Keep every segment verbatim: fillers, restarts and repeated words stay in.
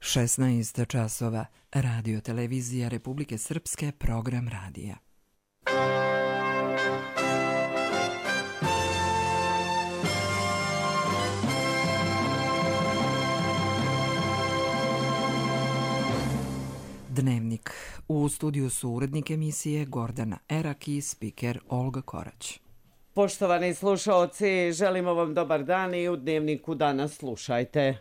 šesnaest časova, Radio televizija Republike Srpske, program radija. Dnevnik. U studiju su urednik emisije Gordana Erak i spiker Olga Korać. Poštovani slušaoci, želimo vam dobar dan i u Dnevniku danas slušajte.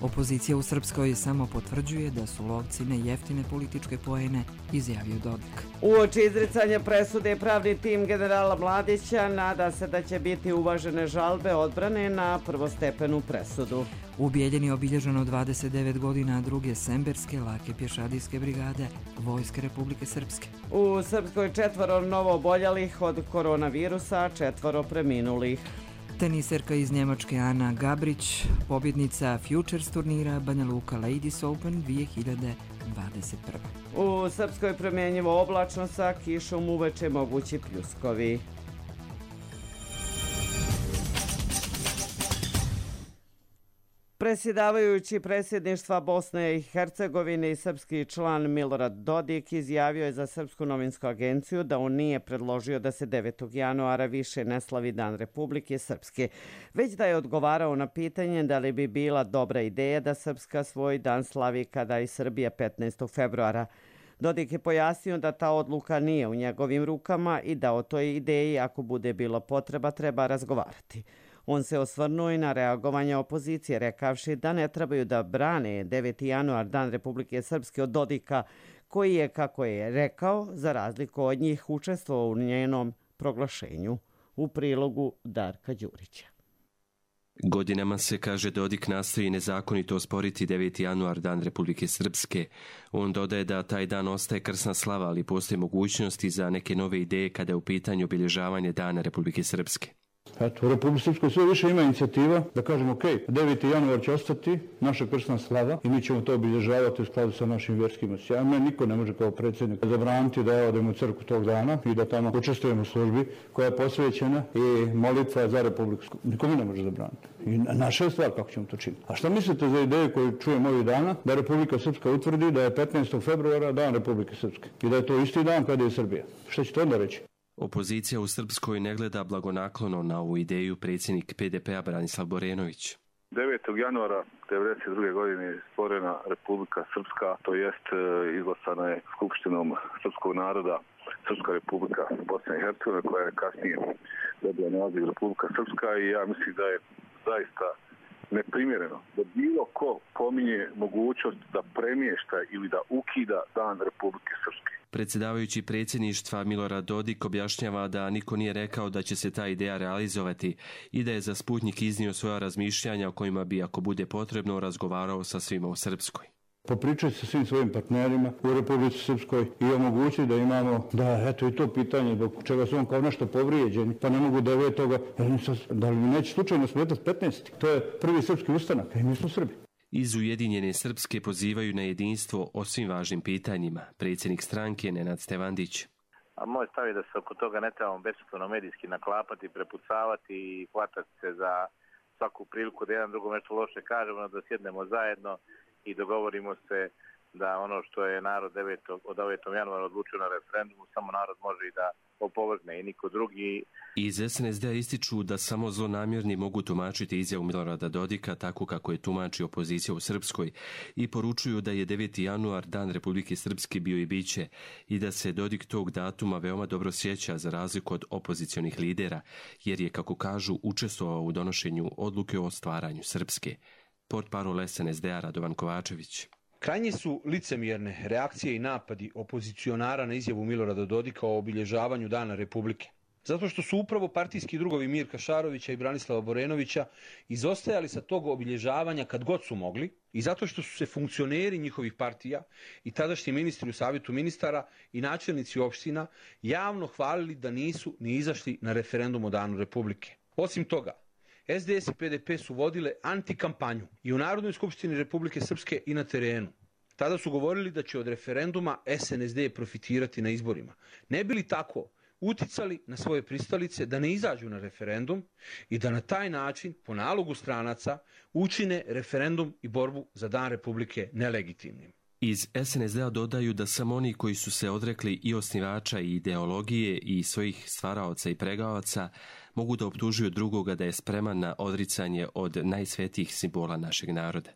Opozicija u Srpskoj samo potvrđuje da su lovci nejeftine političke poene, izjavio Dodik. Uoči izricanja presude pravni tim generala Mladića nada se da će biti uvažene žalbe odbrane na prvostepenu presudu. U Bijeljini je obilježeno dvadeset devet godina druge Semberske lake pješadijske brigade Vojske Republike Srpske. U Srpskoj četvoro novo oboljelih od koronavirusa, četvoro preminulih. Teniserka iz Njemačke Ana Gabrić, pobjednica Futures turnira Banja Luka Ladies Open dvije hiljade dvadeset prve. U Srpskoj promjenjivo oblačno sa kišom uveče mogući pljuskovi. Predsjedavajući predsjedništva Bosne i Hercegovine i srpski član Milorad Dodik izjavio je za Srpsku novinsku agenciju da on nije predložio da se devetog januara više ne slavi Dan Republike Srpske, već da je odgovarao na pitanje da li bi bila dobra ideja da Srpska svoj dan slavi kada i Srbija petnaestog februara. Dodik je pojasnio da ta odluka nije u njegovim rukama i da o toj ideji, ako bude bilo potreba, treba razgovarati. On se osvrnuo i na reagovanje opozicije, rekavši da ne trebaju da brane deveti januar Dan Republike Srpske od Dodika, koji je, kako je rekao, za razliku od njih učestvovao u njenom proglašenju. U prilogu Darka Đurića. Godinama se, kaže Dodik, nastoji nezakonito osporiti deveti januar Dan Republike Srpske. On dodaje da taj dan ostaje krsna slava, ali postoje mogućnosti za neke nove ideje kada je u pitanju obilježavanje Dana Republike Srpske. Eto, u Republike Srpskoj sve više ima inicijativa da kažemo ok, deveti januar će ostati naša krsna slava i mi ćemo to obilježavati u skladu sa našim vjerskim osjećajima. Niko ne može kao predsjednik zabraniti da odemo u crkvu tog dana i da tamo učestvujemo u službi koja je posvećena i molitva za Republiku Srpsku. Niko mi ne može zabraniti. I naša je stvar kako ćemo to činiti. A šta mislite za ideju koju čujem ovih dana da Republika Srpska utvrdi da je petnaestog februara Dan Republike Srpske i da je to isti dan kada je Srbija? Šta ćete onda reći? Opozicija u Srpskoj ne gleda blagonaklono na ovu ideju, predsjednik P D P-a Branislav Borenović. devetog januara devedeset druge godine je stvorena Republika Srpska, to jest izglasana je Skupštinom srpskog naroda Srpska Republika Bosne i Hercegovine, koja je kasnije dobila naziv Republika Srpska, i ja mislim da je zaista neprimjereno da bilo ko pominje mogućnost da premješta ili da ukida Dan Republike Srpske. Predsjedavajući predsjedništva Milorad Dodik objašnjava da niko nije rekao da će se ta ideja realizovati i da je za Sputnjik iznio svoja razmišljanja o kojima bi, ako bude potrebno, razgovarao sa svima u Srpskoj. Popričati sa svim svojim partnerima u Republici Srpskoj i omogućiti da imamo, da eto i to pitanje zbog čega su on kao nešto povrijeđeni, pa ne mogu devetoga, da li mi neće slučajno smetati petnaesti. To je prvi srpski ustanak, i mi smo Srbi. Iz Ujedinjene Srpske pozivaju na jedinstvo o svim važnim pitanjima. Predsjednik stranke Nenad Stevandić. A moj stav je da se oko toga ne trebamo besmisleno medijski naklapati, prepucavati i hvatati se za svaku priliku da jedan drugom nešto loše kažemo, da sjednemo zajedno i dogovorimo se da ono što je narod devetog od devetog januara odlučio na referendumu, samo narod može i da opovrgne i niko drugi. Iz S N S D-a ističu da samo zlonamjerni mogu tumačiti izjavu Milorada Dodika tako kako je tumači opozicija u Srpskoj i poručuju da je deveti januar Dan Republike Srpske bio i biće i da se Dodik tog datuma veoma dobro sjeća za razliku od opozicionih lidera, jer je, kako kažu, učestvovao u donošenju odluke o stvaranju Srpske. Portparol S N S D-a Radovan Kovačević. Krajnje su licemjerne reakcije i napadi opozicionara na izjavu Milorada Dodika o obilježavanju Dana Republike. Zato što su upravo partijski drugovi Mirka Šarovića i Branislava Borenovića izostajali sa tog obilježavanja kad god su mogli, i zato što su se funkcioneri njihovih partija i tadašnji ministri u savjetu ministara i načelnici opština javno hvalili da nisu ni izašli na referendum o Danu Republike. Osim toga, S D S i P D P su vodile antikampanju i u Narodnoj skupštini Republike Srpske i na terenu. Tada su govorili da će od referenduma S N S D profitirati na izborima. Ne bi li tako uticali na svoje pristalice da ne izađu na referendum i da na taj način, po nalogu stranaca, učine referendum i borbu za Dan Republike nelegitimnim. Iz es en es de-a dodaju da samo oni koji su se odrekli i osnivača i ideologije i svojih stvaraoca i pregavaca mogu da optužuju drugoga da je spreman na odricanje od najsvetijih simbola našeg naroda.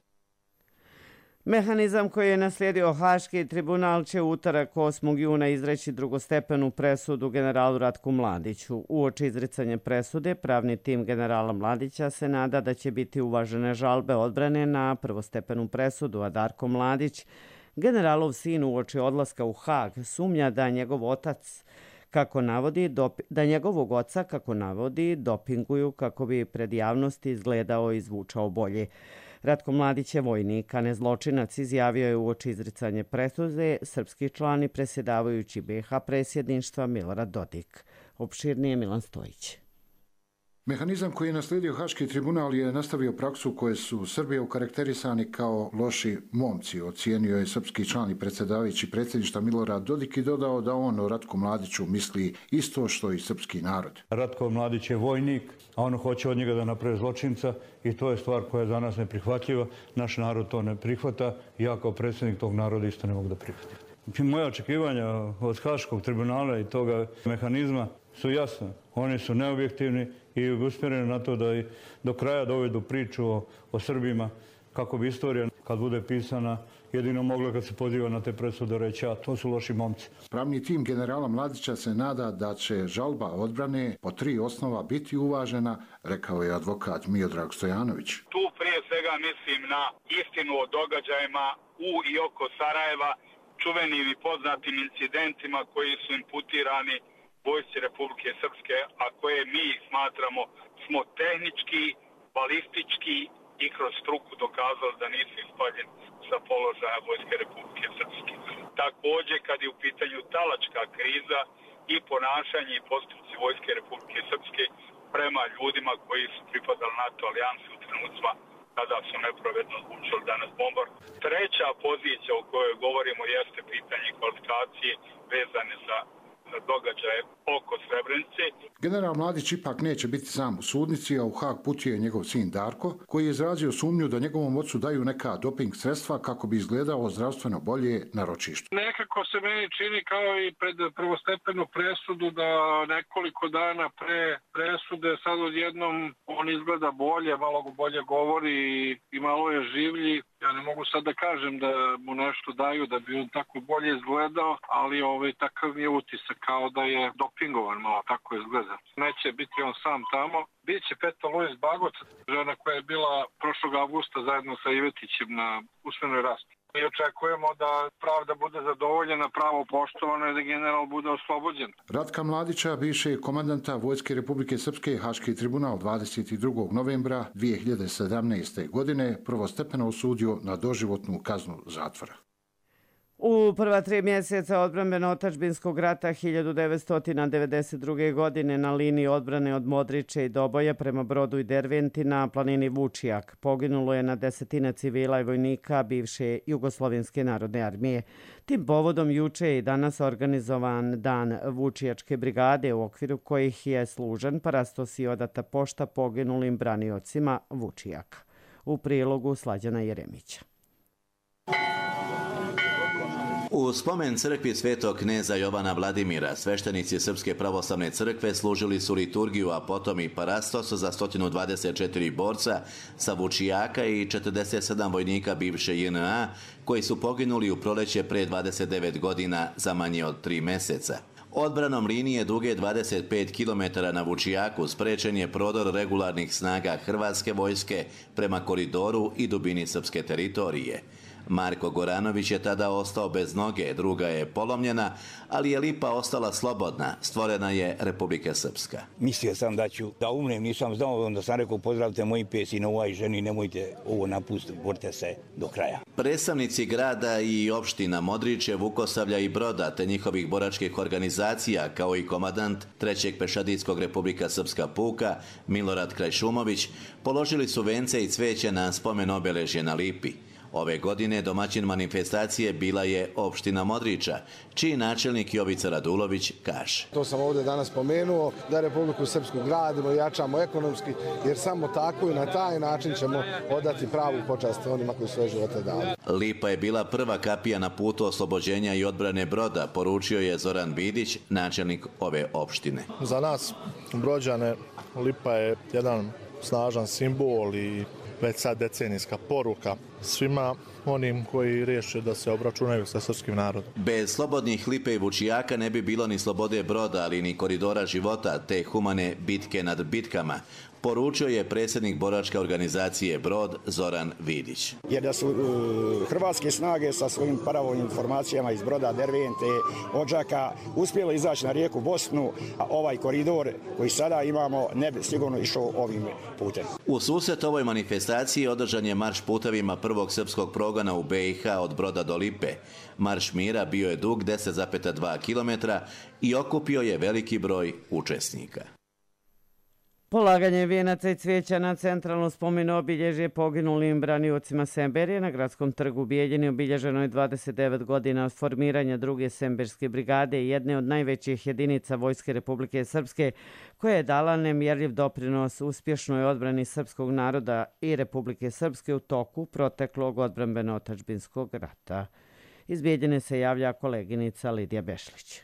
Mehanizam koji je naslijedio Haški tribunal će utorak osmog juna izreći drugostepenu presudu generalu Ratku Mladiću. Uoči izricanja presude, pravni tim generala Mladića se nada da će biti uvažene žalbe odbrane na prvostepenu presudu, a Darko Mladić, generalov sin, uoči odlaska u Hag, sumnja da njegov otac kako navodi, da njegovog oca, kako navodi, dopinguju kako bi pred javnosti izgledao i zvučao bolje. Ratko Mladić je vojnik, a ne zločinac, izjavio je uoči izricanje presude srpski član i predsjedavajući be ha predsjedništva Milorad Dodik. Opširnije Milan Stojić. Mehanizam koji je naslijedio Haški tribunal je nastavio praksu koje su Srbije okarakterisani kao loši momci, ocijenio je srpski član i predsjedavajući predsjedništva Milorad Dodik i dodao da on o Ratku Mladiću misli isto što i srpski narod. Ratko Mladić je vojnik, a on hoće od njega da napravi zločinca i to je stvar koja je za nas neprihvatljiva. Naš narod to ne prihvata i ja kao predsjednik tog naroda isto ne mogu da prihvatim. Moja očekivanja od Haškog tribunala i toga mehanizma su jasne. Oni su neobjektivni i usmjereni na to da i do kraja dovedu priču o, o Srbima kako bi istorija kad bude pisana jedino mogla kad se poziva na te presude reći, a to su loši momci. Pravni tim generala Mladića se nada da će žalba odbrane po tri osnova biti uvažena, rekao je advokat Miodrag Stojanović. Tu prije svega mislim na istinu o događajima u i oko Sarajeva, čuvenim i poznatim incidentima koji su imputirani vojsci Republike Srpske, a koje mi smatramo smo tehnički, balistički i kroz struku dokazali da nisu ispaljeni sa položaja vojske Republike Srpske. Također, kad je u pitanju talačka kriza i ponašanje i postupci vojske Republike Srpske prema ljudima koji su pripadali NATO alijansi u trenucima kada su nepravedno odlučili da nas bombarduju. Treća pozicija o kojoj govorimo jeste pitanje kvalifikacije vezane za događaje oko Srebrenice. General Mladić ipak neće biti sam u sudnici, a u Hag putuje njegov sin Darko, koji je izrazio sumnju da njegovom ocu daju neka doping sredstva kako bi izgledao zdravstveno bolje na ročištu. Nekako se meni čini kao i pred prvostepenu presudu da nekoliko dana pre presude sad odjednom on izgleda bolje, malo bolje govori i malo je življi. Ja ne mogu sad da kažem da mu nešto daju da bi on tako bolje izgledao, ali ovaj, takav mi je utisak kao da je dopingovan, malo tako izgleda. Neće biti on sam tamo. Biće Petar Luis Bagoc, žena koja je bila prošlog avgusta zajedno sa Ivetićem na usmenoj raspravi. Mi očekujemo da pravda bude zadovoljena, pravo poštovano i da general bude oslobođen. Ratka Mladića, bivšeg komandanta Vojske Republike Srpske, Haški tribunal dvadeset drugog novembra dvije hiljade sedamnaeste. godine prvostepeno osudio na doživotnu kaznu zatvora. U prva tri mjeseca odbrambeno-otadžbinskog rata hiljadu devetsto devedeset druge. godine na liniji odbrane od Modriče i Doboja prema Brodu i Derventi na planini Vučijak poginulo je na desetine civila i vojnika bivše Jugoslovenske narodne armije. Tim povodom juče je i danas organizovan Dan Vučijačke brigade, u okviru kojih je služen parastos i odata pošta poginulim braniocima Vučijaka. U prilogu Slađana Jeremića. U spomen crkvi svetog kneza Jovana Vladimira, sveštenici Srpske pravoslavne crkve služili su liturgiju, a potom i parastos za sto dvadeset četiri borca sa Vučijaka i četrdeset sedam vojnika bivše je en a koji su poginuli u proleće pre dvadeset devet godina za manje od tri meseca. Odbranom linije duge dvadeset pet kilometara na Vučijaku sprečen je prodor regularnih snaga Hrvatske vojske prema koridoru i dubini srpske teritorije. Marko Goranović je tada ostao bez noge, druga je polomljena, ali je lipa ostala slobodna. Stvorena je Republika Srpska. Mislio sam da ću da umrem, nisam znao, onda sam rekao pozdravite moji pet sinova i ženi, nemojte ovo napustiti, borite se do kraja. Predstavnici grada i opština Modriče, Vukosavlja i Broda, te njihovih boračkih organizacija, kao i komandant trećeg pešadijskog Republika Srpska puka, Milorad Krajšumović, položili su vence i cveće na spomen obeležje na Lipi. Ove godine domaćin manifestacije bila je opština Modriča, čiji načelnik Jovica Radulović kaže. To sam ovdje danas spomenuo, da Republiku Srpsku gradimo i jačamo ekonomski, jer samo tako i na taj način ćemo odati pravu počast onima koji svoje živote dali. Lipa je bila prva kapija na putu oslobođenja i odbrane Broda, poručio je Zoran Vidić, načelnik ove opštine. Za nas, Brođane, Lipa je jedan snažan simbol i već sad decenijska poruka svima onim koji riješe da se obračunaju sa srpskim narodom. Bez slobodnih Lipe i Vučijaka ne bi bilo ni slobode Broda, ali ni koridora života, te humane bitke nad bitkama, poručio je predsjednik boračke organizacije Brod Zoran Vidić. Jer da su uh, hrvatske snage sa svojim paravojnim formacijama iz Broda, Dervente, Odžaka uspjelo izaći na rijeku Bosnu, a ovaj koridor koji sada imamo ne bi sigurno išao ovim putem. U susret ovoj manifestaciji održan je marš putevima prvog srpskog progona u B i H od Broda do Lipe. Marš mira bio je dug deset zarez dva kilometra i okupio je veliki broj učesnika. Polaganje vijenaca i cvijeća na centralno spomen obilježje poginulim braniocima Semberije na gradskom trgu u Bijeljini obilježeno je dvadeset devet godina od formiranja druge Semberske brigade i jedne od najvećih jedinica Vojske Republike Srpske koja je dala nemjerljiv doprinos uspješnoj odbrani srpskog naroda i Republike Srpske u toku proteklog odbrambeno-otadžbinskog rata. Iz Bijeljine se javlja koleginica Lidija Bešlić.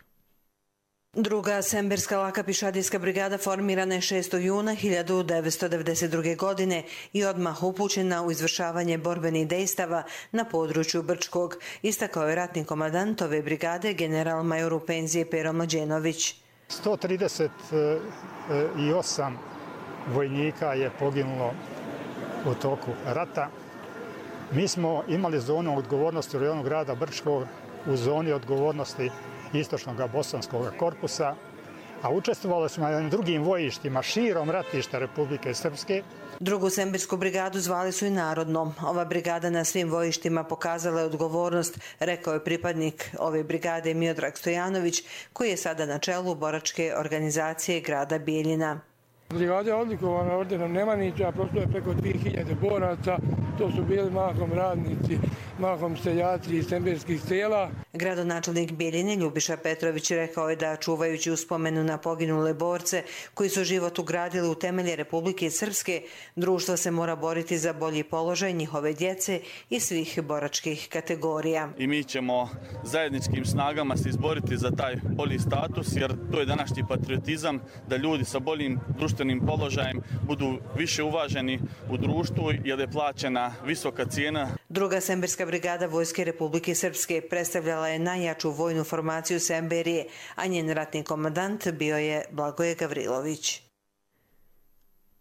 Druga Semberska laka pišadijska brigada formirana je šestog juna hiljadu devetsto devedeset druge. godine i odmah upućena u izvršavanje borbenih dejstava na području Brčkog, istakao je ratni komandant ove brigade general major u penziji Pero Mlađenović. sto trideset osam vojnika je poginulo u toku rata. Mi smo imali zonu odgovornosti u rajonu grada Brčkog u zoni odgovornosti istočnog bosanskog korpusa, a učestvovali smo na drugim vojištima širom ratišta Republike Srpske. Drugu Sembersku brigadu zvali su i narodnom. Ova brigada na svim vojištima pokazala je odgovornost, rekao je pripadnik ove brigade Miodrag Stojanović, koji je sada na čelu boračke organizacije grada Bijeljina. Brigada je odlikovana ordenom Nemanjića, prošlo je preko dvije hiljade boraca, to su bili mahom radnici, mahom seljaci iz semberskih sela. Gradonačelnik Bijeljine Ljubiša Petrović rekao je da čuvajući uspomenu na poginule borce koji su život ugradili u temelje Republike Srpske, društvo se mora boriti za bolji položaj njihove djece i svih boračkih kategorija. I mi ćemo zajedničkim snagama se izboriti za taj bolji status, jer to je današnji patriotizam, da ljudi sa boljim društvenim položajem budu više uvaženi u društvu jer je plaćena visoka cijena. Druga Semberska brigada Vojske Republike Srpske predstavljala je najjaču vojnu formaciju Semberije, a njen ratni komandant bio je Blagoje Gavrilović.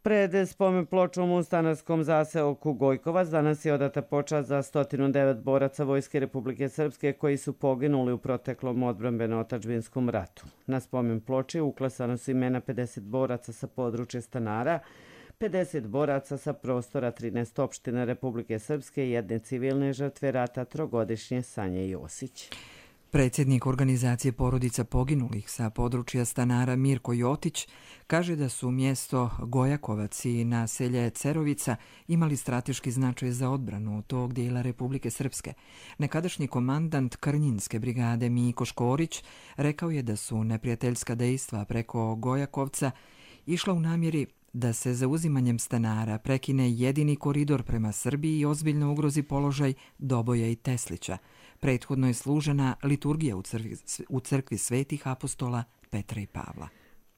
Pred spomen pločom u stanarskom zaseoku Gojkovac danas je odata počast za sto devet boraca Vojske Republike Srpske koji su poginuli u proteklom odbrambeno-otadžbinskom ratu. Na spomen ploči uklesana su imena pedeset boraca sa područja Stanara, pedeset boraca sa prostora trinaest opština Republike Srpske i jedne civilne žrtve rata trogodišnje Sanje Josić. Predsjednik organizacije porodica poginulih sa područja Stanara Mirko Jotić kaže da su mjesto Gojakovac i naselje Cerovica imali strateški značaj za odbranu tog dijela Republike Srpske. Nekadašnji komandant Krnjinske brigade Miko Škorić rekao je da su neprijateljska dejstva preko Gojakovca išla u namjeri da se zauzimanjem Stanara prekine jedini koridor prema Srbiji i ozbiljno ugrozi položaj Doboja i Teslića. Prethodno je služena liturgija u crkvi, u crkvi svetih apostola Petra i Pavla.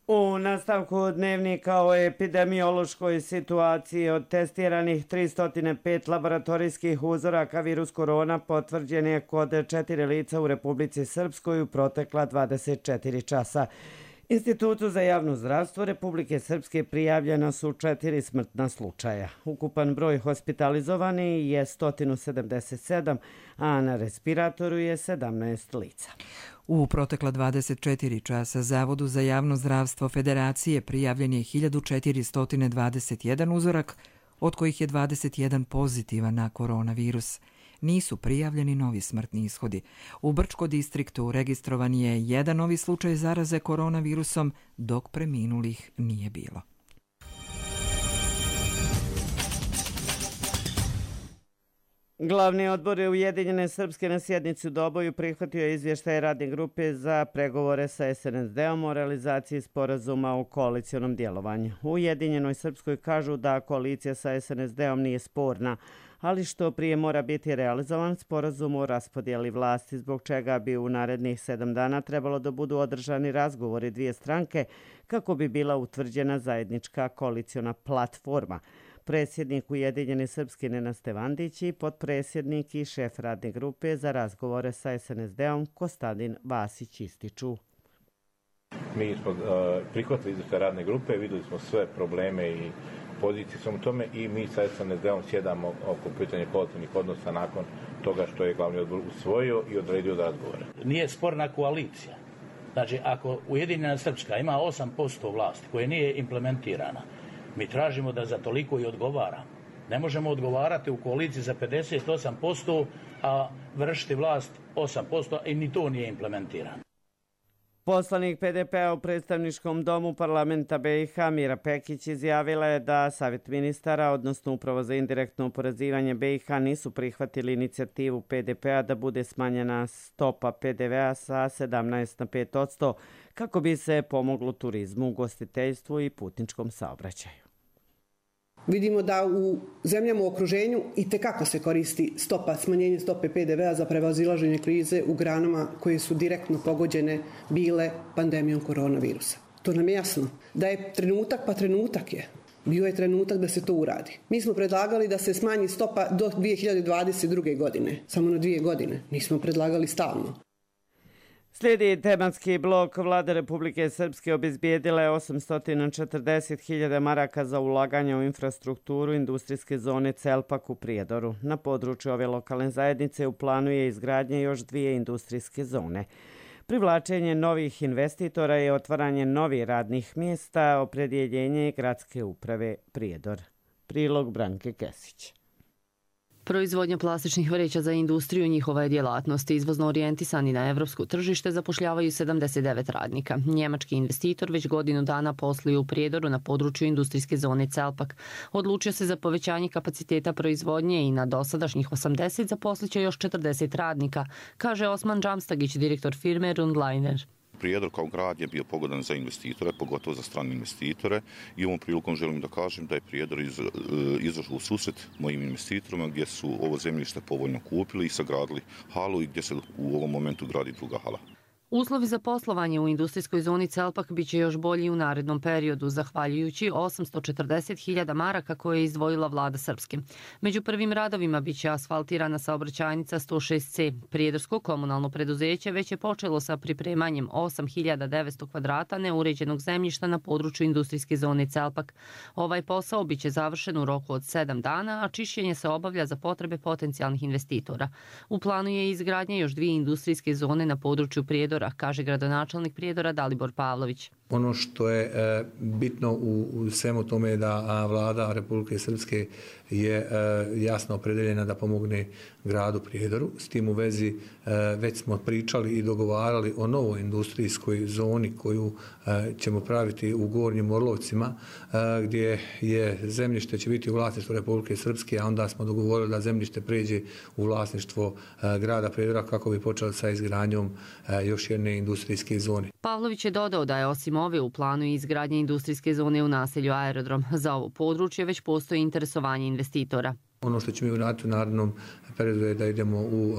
U nastavku dnevnika o epidemiološkoj situaciji od testiranih tristo pet laboratorijskih uzoraka virus korona potvrđen je kod četiri lica u Republici Srpskoj u protekla dvadeset četiri časa. Institutu za javno zdravstvo Republike Srpske prijavljena su četiri smrtna slučaja. Ukupan broj hospitalizovani je sto sedamdeset sedam, a na respiratoru je sedamnaest lica. U protekla dvadeset četiri časa Zavodu za javno zdravstvo Federacije prijavljen je hiljadu četiristo dvadeset jedan uzorak, od kojih je dvadeset jedan pozitivan na koronavirus. Nisu prijavljeni novi smrtni ishodi. U Brčko distriktu registrovan je jedan novi slučaj zaraze koronavirusom, dok preminulih nije bilo. Glavni odbor Ujedinjene Srpske na sjednici u Doboju prihvatio izvještaj radne grupe za pregovore sa es en es de-om o realizaciji sporazuma o koalicionom djelovanju. U Ujedinjenoj Srpskoj kažu da koalicija sa es en es de-om nije sporna, ali što prije mora biti realizovan sporazum o raspodjeli vlasti, zbog čega bi u narednih sedam dana trebalo da budu održani razgovori dvije stranke kako bi bila utvrđena zajednička koaliciona platforma. Predsjednik Ujedinjene Srpske Nenad Stevandić i potpredsjednik i šef radne grupe za razgovore sa es en es de-om Kostadin Vasić ističu. Mi smo uh, prihvatili izvještaj radne grupe, vidjeli smo sve probleme i pozicije svemu tome i mi sa es en es de-om sjedamo oko pitanja koalicijnih odnosa nakon toga što je glavni odbor usvojio i odredio da razgovore. Nije sporna koalicija. Znači, ako Ujedinjena Srpska ima osam posto vlasti koje nije implementirana, mi tražimo da za toliko i odgovara. Ne možemo odgovarati u koaliciji za pedeset osam posto, a vršiti vlast osam posto i ni to nije implementirano. Poslanik pe de pe-a u predstavničkom domu parlamenta be i ha Mira Pekić izjavila je da Savjet ministara, odnosno Uprava za indirektno oporezivanje be i ha, nisu prihvatili inicijativu pe de pe-a da bude smanjena stopa pe de ve-a sa sedamnaest na pet posto kako bi se pomoglo turizmu, ugostiteljstvu i putničkom saobraćaju. Vidimo da u zemljama u okruženju i tekako se koristi stopa, smanjenje stope pe de ve-a za prevazilaženje krize u granama koje su direktno pogođene bile pandemijom koronavirusa. To nam je jasno. Da je trenutak, pa trenutak je. Bio je trenutak da se to uradi. Mi smo predlagali da se smanji stopa do dvije hiljade dvadeset druge. godine, samo na dvije godine. Nismo predlagali stalno. Slijedi tematski blok. Vlada Republike Srpske obezbijedila je osamsto četrdeset hiljada maraka za ulaganje u infrastrukturu industrijske zone Celpak u Prijedoru. Na području ove lokalne zajednice u planu je izgradnje još dvije industrijske zone. Privlačenje novih investitora i otvaranje novih radnih mjesta, opredjeljenje gradske uprave Prijedor. Prilog Branke Kesić. Proizvodnja plastičnih vreća za industriju njihova je djelatnost. Izvozno orijentisani na evropsko tržište zapošljavaju sedamdeset devet radnika. Njemački investitor već godinu dana posluje u Prijedoru na području industrijske zone Celpak. Odlučio se za povećanje kapaciteta proizvodnje i na dosadašnjih osamdeset zaposliće još četrdeset radnika, kaže Osman Džamstagić, direktor firme Rundliner. Prijedor kao grad je bio pogodan za investitore, pogotovo za strane investitore i ovom prilikom želim da kažem da je Prijedor iz, izašao u susret mojim investitorima gdje su ovo zemljište povoljno kupili i sagradili halu i gdje se u ovom momentu gradi druga hala. Uslovi za poslovanje u industrijskoj zoni Celpak biće još bolji u narednom periodu, zahvaljujući osamsto četrdeset hiljada maraka koje je izdvojila vlada Srpske. Među prvim radovima biće asfaltirana saobraćajnica sto šest ce. Prijedorsko komunalno preduzeće već je počelo sa pripremanjem osam hiljada devetsto kvadrata neuređenog zemljišta na području industrijske zone Celpak. Ovaj posao biće završen u roku od sedam dana, a čišćenje se obavlja za potrebe potencijalnih investitora. U planu je izgradnja još dvije industrijske zone na području Prijedora, kaže gradonačelnik Prijedora Dalibor Pavlović. Ono što je e, bitno u, u svemu tome je da a, vlada Republike Srpske je e, jasno opredeljena da pomogne gradu Prijedoru. S tim u vezi e, već smo pričali i dogovarali o novoj industrijskoj zoni koju e, ćemo praviti u Gornjim Orlovcima, e, gdje je zemljište će biti u vlasništvu Republike Srpske, a onda smo dogovorili da zemljište pređe u vlasništvo e, grada Prijedora kako bi počeli sa izgradnjom e, još jedne industrijske zone. Pavlović je dodao da je osim ove u planu i izgradnje industrijske zone u naselju Aerodrom. Za ovo područje već postoji interesovanje investitora. Ono što ćemo uraditi u narednom periodu je da idemo u uh,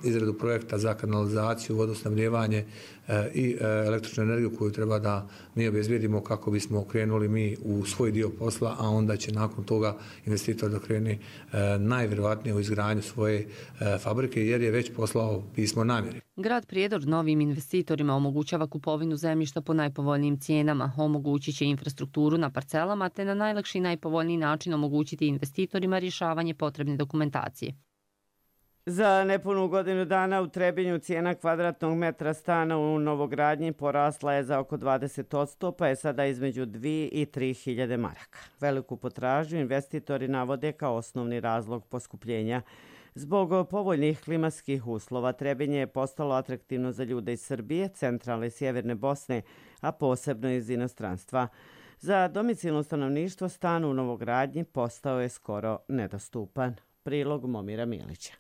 izradu projekta za kanalizaciju, vodosnabdijevanje uh, i uh, električnu energiju koju treba da mi obezbijedimo kako bismo krenuli mi u svoj dio posla, a onda će nakon toga investitor da krene uh, najvjerojatnije u izgradnju svoje uh, fabrike jer je već poslao pismo namjeri. Grad Prijedor novim investitorima omogućava kupovinu zemljišta po najpovoljnijim cijenama, omogućit će infrastrukturu na parcelama te na najlakši i najpovoljniji način omogućiti investitorima rješavanje potrebne dokumentacije. Za nepunu godinu dana u Trebinju cijena kvadratnog metra stana u novogradnji porasla je za oko dvadeset posto, pa je sada između dvije i tri hiljade maraka. Veliku potražnju investitori navode kao osnovni razlog poskupljenja. Zbog povoljnih klimatskih uslova Trebinje je postalo atraktivno za ljude iz Srbije, centralne i sjeverne Bosne, a posebno iz inostranstva. Za domicilno stanovništvo stan u novogradnji postao je skoro nedostupan. Prilog Momira Milića.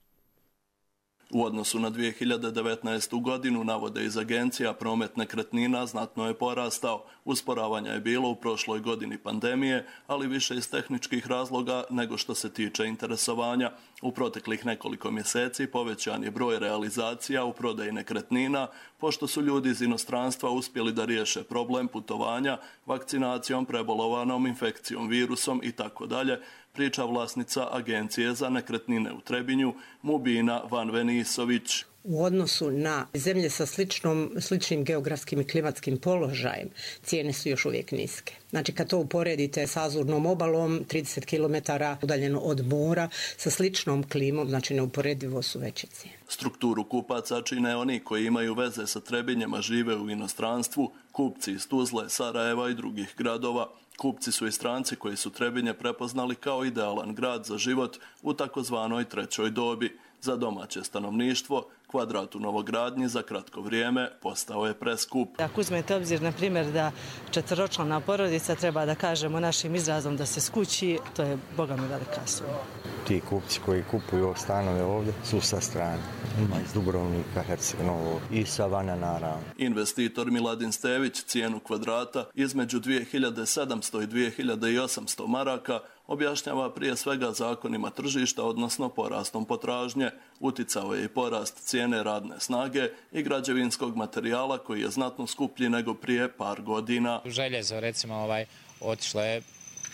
U odnosu na dvije hiljade devetnaestu. godinu, navode iz agencija, promet nekretnina znatno je porastao. Usporavanja je bilo u prošloj godini pandemije, ali više iz tehničkih razloga nego što se tiče interesovanja. U proteklih nekoliko mjeseci povećan je broj realizacija u prodaji nekretnina, pošto su ljudi iz inostranstva uspjeli da riješe problem putovanja, vakcinacijom, prebolovanom infekcijom virusom i tako dalje, priča vlasnica Agencije za nekretnine u Trebinju, Mubina Vanvenisović. U odnosu na zemlje sa sličnom, sličnim geografskim i klimatskim položajem, cijene su još uvijek niske. Znači kad to uporedite sa Azurnom obalom, trideset kilometara udaljeno od mora, sa sličnom klimom, znači neuporedivo su veće cijene. Strukturu kupaca čine oni koji imaju veze sa Trebinjem, a žive u inostranstvu, kupci iz Tuzle, Sarajeva i drugih gradova. Kupci su i stranci koji su Trebinje prepoznali kao idealan grad za život u takozvanoj trećoj dobi. Za domaće stanovništvo, kvadrat u novogradnji za kratko vrijeme postao je preskup. Ako uzmete obzir, na primjer, da četveročlana porodica treba da kažemo našim izrazom da se skući, to je boga mi velika suma. Ti kupci koji kupuju stanove ovdje su sa strane. Ima iz Dubrovnika, Herceg-Novog i Savana naravno. Investitor Miladin Stević cijenu kvadrata između dvije hiljade sedamsto i dvije hiljade osamsto maraka objašnjava prije svega zakonima tržišta, odnosno porastom potražnje. Uticao je i porast cijene radne snage i građevinskog materijala koji je znatno skuplji nego prije par godina. Željezo recimo ovaj, otišlo je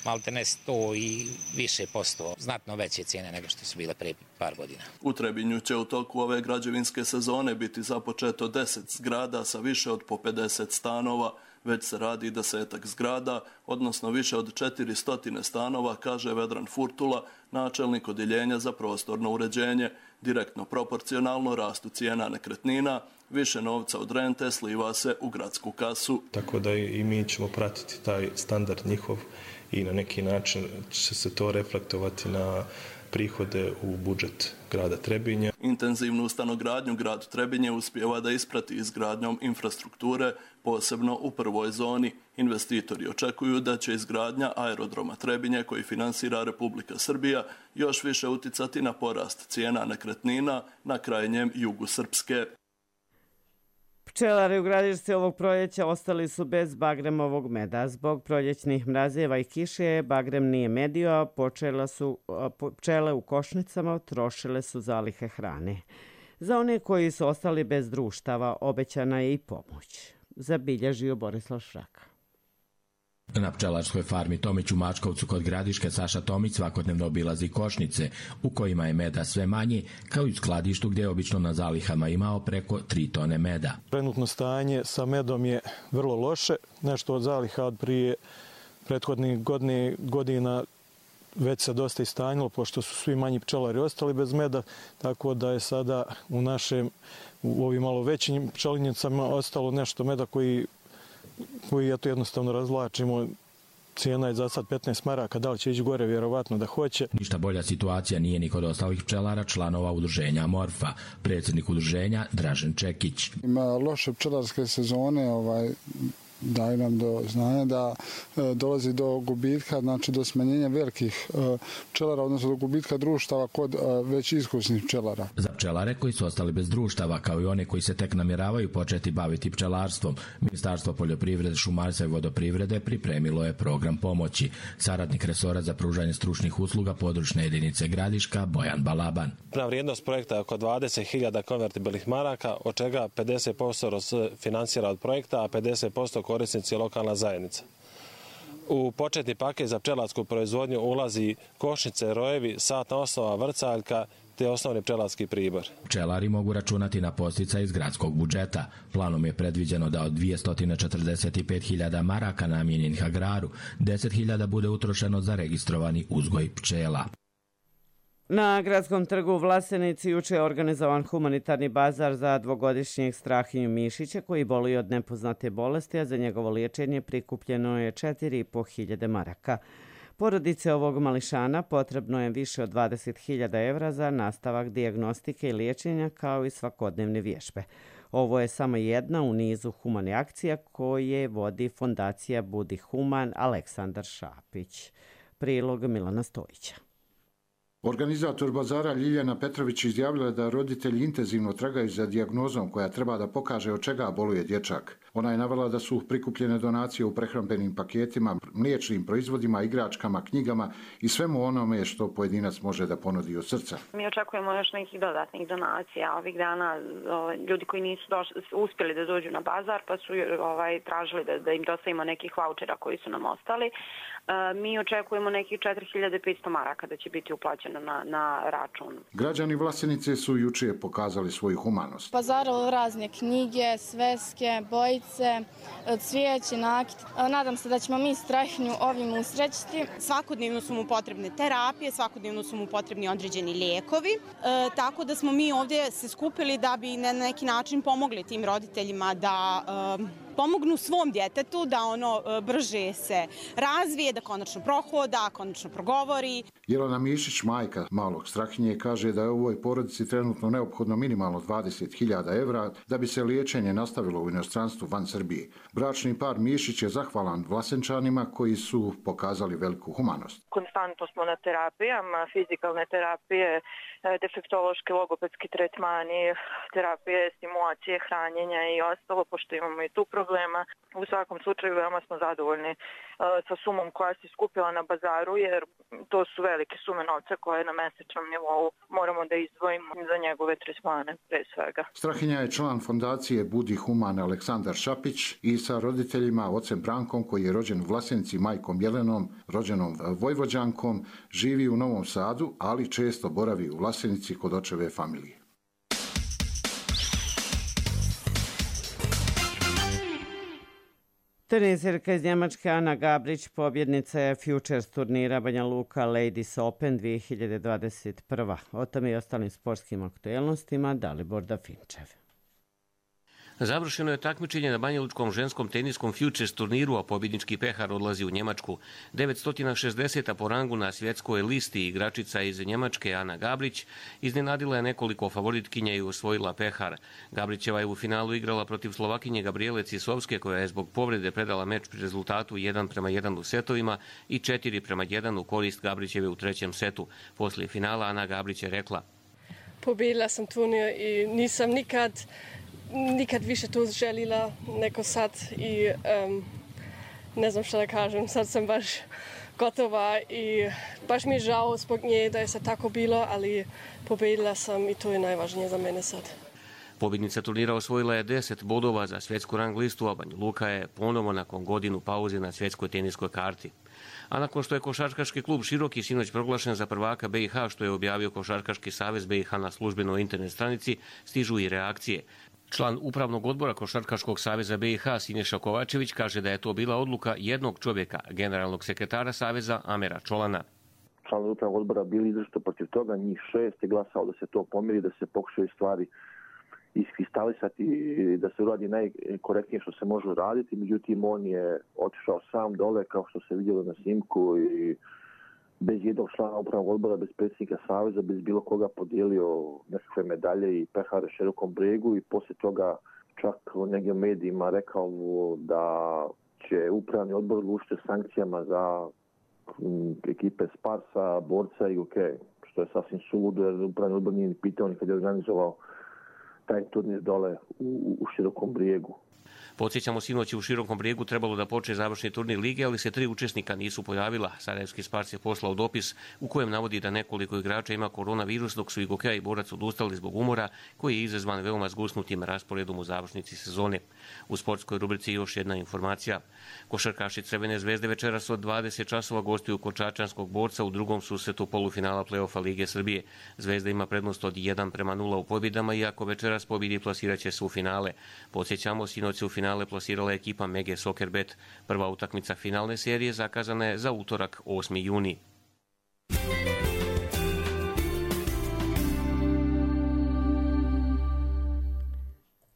malte ne sto i više posto, znatno veće cijene nego što su bile prije par godina. U Trebinju će u toku ove građevinske sezone biti započeto deset zgrada sa više od po pedeset stanova. Već se radi desetak zgrada, odnosno više od četiristo stanova, kaže Vedran Furtula, načelnik odjeljenja za prostorno uređenje. Direktno proporcionalno rastu cijena nekretnina, više novca od rente sliva se u gradsku kasu. Tako da i mi ćemo pratiti taj standard njihov i na neki način će se to reflektovati na prihode u budžet grada Trebinja. Intenzivnu stanogradnju grad Trebinje uspijeva da isprati izgradnjom infrastrukture, posebno u prvoj zoni. Investitori očekuju da će izgradnja aerodroma Trebinje, koji finansira Republika Srbija, još više uticati na porast cijena nekretnina na krajnjem jugu Srpske. Pčelari u Gradišci ovog proljeća ostali su bez bagremovog meda. Zbog proljećnih mrazeva i kiše bagrem nije medio, a počele su, pčele u košnicama trošile su zalihe hrane. Za one koji su ostali bez društava obećana je i pomoć. Zabilježio Borislav Šraka. Na pčelarskoj farmi Tomić u Mačkovcu kod Gradiške Saša Tomić svakodnevno obilazi košnice u kojima je meda sve manji, kao i u skladištu gdje je obično na zalihama imao preko tri tone meda. Trenutno stanje sa medom je vrlo loše, nešto od zaliha od prije prethodnih godina već se dosta istanjilo, pošto su svi manji pčelari ostali bez meda, tako da je sada u našem, u ovim malo većim pčelinjicama ostalo nešto meda koji koji ja to jednostavno razvlačimo. Cijena je za sad petnaest maraka, da li će ići gore, vjerovatno da hoće. Ništa bolja situacija nije ni kod ostalih pčelara, članova udruženja Morfa. Predsjednik udruženja Dražen Čekić. Ima loše pčelarske sezone, ovaj, daju nam do znanja da e, dolazi do gubitka, znači do smanjenja velikih e, pčelara, odnosno do gubitka društava kod e, već iskusnih pčelara. Za pčelare koji su ostali bez društava, kao i one koji se tek namjeravaju početi baviti pčelarstvom, Ministarstvo poljoprivrede, šumarstva i vodoprivrede pripremilo je program pomoći. Saradnik resora za pružanje stručnih usluga područne jedinice Gradiška, Bojan Balaban. Na vrijednost projekta je oko dvadeset hiljada konvertibilnih maraka, od čega pedeset posto finansira od projekta, a pedeset posto korisnici lokalna zajednica. U početni paket za pčelarsku proizvodnju ulazi košnice, rojevi, satna osnova, vrcaljka te osnovni pčelarski pribor. Pčelari mogu računati na posticaj iz gradskog budžeta. Planom je predviđeno da od dvjesto četrdeset pet hiljada maraka namijenjenih agraru, deset hiljada bude utrošeno za registrovani uzgoj pčela. Na Gradskom trgu u Vlasenici juče je organizovan humanitarni bazar za dvogodišnjeg Strahinju Mišića koji boluje od nepoznate bolesti, a za njegovo liječenje prikupljeno je četiri i po hiljade maraka. Porodice ovog mališana potrebno je više od dvadeset hiljada evra za nastavak dijagnostike i liječenja kao i svakodnevne vježbe. Ovo je samo jedna u nizu humane akcija koje vodi fondacija Budi Human Aleksandar Šapić. Prilog Milana Stojića. Organizator bazara Ljiljana Petrović izjavila da roditelji intenzivno tragaju za dijagnozom koja treba da pokaže od čega boluje dječak. Ona je navela da su prikupljene donacije u prehrambenim paketima, mliječnim proizvodima, igračkama, knjigama i svemu onome što pojedinac može da ponudi od srca. Mi očekujemo još nekih dodatnih donacija. Ovih dana ljudi koji nisu došli, uspjeli da dođu na bazar pa su ovaj, tražili da, da im dostavimo nekih vaučera koji su nam ostali. Mi očekujemo nekih četiri hiljade petsto maraka da će biti uplaćeno na, na račun. Građani Vlasenice su juče pokazali svoju humanost. Pazaralo razne knjige, sveske, bojice, cvijeće, nakit. Nadam se da ćemo mi Strahinju ovim usrećiti. Svakodnevno su mu potrebne terapije, svakodnevno su mu potrebni određeni lijekovi. E, tako da smo mi ovdje se skupili da bi na neki način pomogli tim roditeljima da e, pomognu svom djetetu da ono brže se razvije, da konačno prohoda, konačno progovori. Jelena Mišić, majka malog Strahinje, kaže da je ovoj porodici trenutno neophodno minimalno dvadeset hiljada evra da bi se liječenje nastavilo u inostranstvu van Srbije. Bračni par Mišić je zahvalan Vlasenčanima koji su pokazali veliku humanost. Konstantno smo na terapijama, fizikalne terapije, defektološki, logopedski tretmani, terapije, stimulacije, hranjenja i ostalo, pošto imamo i tu problema. U svakom slučaju veoma smo zadovoljni sa sumom koja se skupila na bazaru, jer to su velike sume novca koje na mesečnom nivou moramo da izdvojimo za njegove tretmane, pre svega. Strahinja je član fondacije Budi Human Aleksandar Šapić i sa roditeljima, ocem Brankom koji je rođen u Vlasenici, majkom Jelenom, rođenom Vojvođankom, živi u Novom Sadu, ali često boravi u Vlasenici kod očeve familije. Teniserka iz Njemačke Ana Gabrić pobjednica je Futures turnira Banja Luka Ladies Open dvije hiljade dvadeset prva. O tome i ostalim sportskim aktuelnostima Dalibor Dafinčev. Završeno je takmičenje na banjalučkom ženskom teniskom Futures turniru, a pobjednički pehar odlazi u Njemačku. devetsto šezdeset po rangu na svjetskoj listi igračica iz Njemačke Ana Gabrić iznenadila je nekoliko favoritkinja i osvojila pehar. Gabrićeva je u finalu igrala protiv Slovakinje Gabriele Cisovske, koja je zbog povrede predala meč pri rezultatu jedan prema jedan u setovima i četiri prema jedan u korist Gabrićeve u trećem setu. Poslije finala Ana Gabrić je rekla: Pobjedila sam turnir i nisam nikad nikad više to željela neko sad i um, ne znam što da kažem, sad sam baš gotova i baš mi je žao zbog nje da je sad tako bilo, ali pobjedila sam i to je najvažnije za mene sad. Pobjednica turnira osvojila je deset bodova za svjetsku rang listu, a Banja Luka je ponovo nakon godinu pauze na svjetskoj teniskoj karti. A nakon što je košarkaški klub Široki sinoć proglašen za prvaka B i H, što je objavio Košarkaški savez B i H na službenoj internet stranici, stižu i reakcije. Član upravnog odbora Košarkaškog saveza B i H Siniša Kovačević kaže da je to bila odluka jednog čovjeka, generalnog sekretara saveza Amera Čolana. Članovi upravnog odbora bili izrazito protiv toga, njih šest je glasao da se to pomiri, da se pokušaju stvari iskristalisati i da se uradi najkorektnije što se može uraditi. Međutim, on je otišao sam dole, kao što se vidjelo na snimku, i bez jednog člana upravnog odbora, bez predsjednika saveza, bez bilo koga podijelio nekakve medalje i pehare Širokom Brijegu i poslije toga čak u nekim medijima rekao da će upravni odbor odlučiti sankcijama za ekipe Sparsa, Borca i U K, što je sasvim suludo jer upravni odbor nije ni pitao ni kad je organizovao taj turnir dole u, u Širokom Brijegu. Podsjećamo, sinoć je u Širokom Brijegu trebalo da počne završni turnir lige, ali se tri učesnika nisu pojavila. Sarajevski Spars je poslao dopis u kojem navodi da nekoliko igrača ima koronavirus, dok su i Gokeja i Borac odustali zbog umora, koji je izazvan veoma zgusnutim rasporedom u završnici sezone. U sportskoj rubrici još jedna informacija. Košarkaši Crvene zvezde večeras od dvadeset časova gostuju kod čačanskog Borca u drugom susretu polufinala play-offa Lige Srbije. Zvezda ima prednost od jedan prema nula u pobjedama, iako večeras pobjedi plasiraće se u finale. Podsjećamo, sinoć se u finale plasirala ekipa Mege Sokerbet. Prva utakmica finalne serije zakazana je za utorak osmi juni.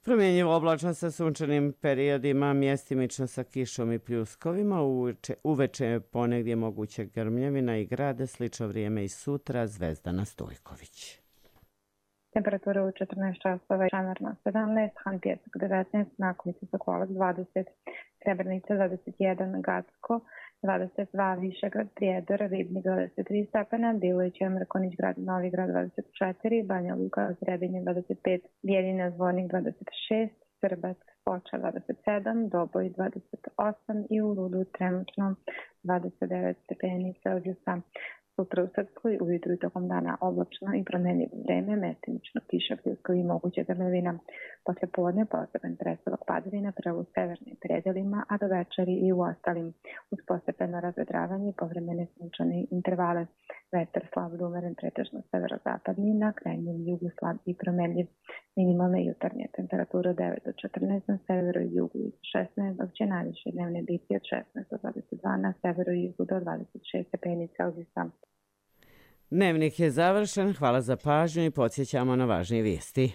Promjenjivo oblačno sa sunčanim periodima, mjestimično sa kišom i pljuskovima, uveče, uveče ponegdje moguće grmljavina i grade, slično vrijeme i sutra. Zvezdana Stojković. Temperatura u četrnaest časova, Čamarna sedamnaest, Han Pjesak devetnaest, Nakomica Sokolac dvadeset, Srebrenica dvadeset jedan, Gacko dvadeset dva, Višegrad, Prijedor, Ribnik dvadeset tri stepena, Bilović, Mrkonić, Grad Novi Grad dvadeset četiri, Banja Luka, Sredinje dvadeset pet, Bijeljina, Zvornik dvadeset šest, Srbac, Foča dvadeset sedam, Doboj dvadeset osam i u Rudu trenutno dvadeset devet stepeni Celzijusa. Sutra u Srpskoj ujutru i tokom dana oblačno i promenljivo vreme, mestimično kiša, pljuska i moguće grmevina. Posle podne postepen prestavak padavina prvo u severnim predelima, a do večeri i u ostalim. Uz postepeno razvedravanje i povremene sunčane intervale. Vetar slab do umeren pretežno severozapadni, na krajnjem jugu slab i promenljiv. Minimalne jutarnje temperature od devet do četrnaest, na severu i jugu i šesnaest, dok će najviše dnevne biti od šesnaest do dvadeset dva, na severu i jugu do dvadeset šest stepeni Celzijusa. Dnevnik je završen, hvala za pažnju i podsjećamo na važnije vijesti.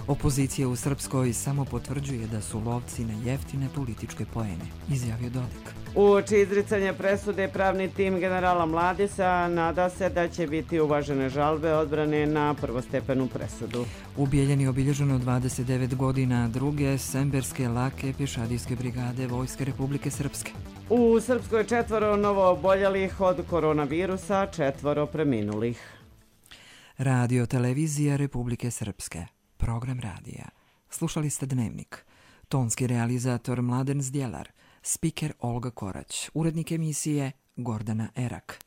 Opozicija u Srpskoj samo potvrđuje da su lovci na jeftine političke poene, izjavio Dodik. Uoči izricanja presude pravni tim generala Mladisa nada se da će biti uvažene žalbe odbrane na prvostepenu presudu. U Bijeljini obilježeno dvadeset devet godina druge Semberske lake pješadijske brigade Vojske Republike Srpske. U Srpskoj četvoro novo oboljelih od koronavirusa, četvoro preminulih. Radio televizija Republike Srpske. Program radija. Slušali ste Dnevnik. Tonski realizator Mladen Zdjelar. Spiker Olga Korać. Urednik emisije Gordana Erak.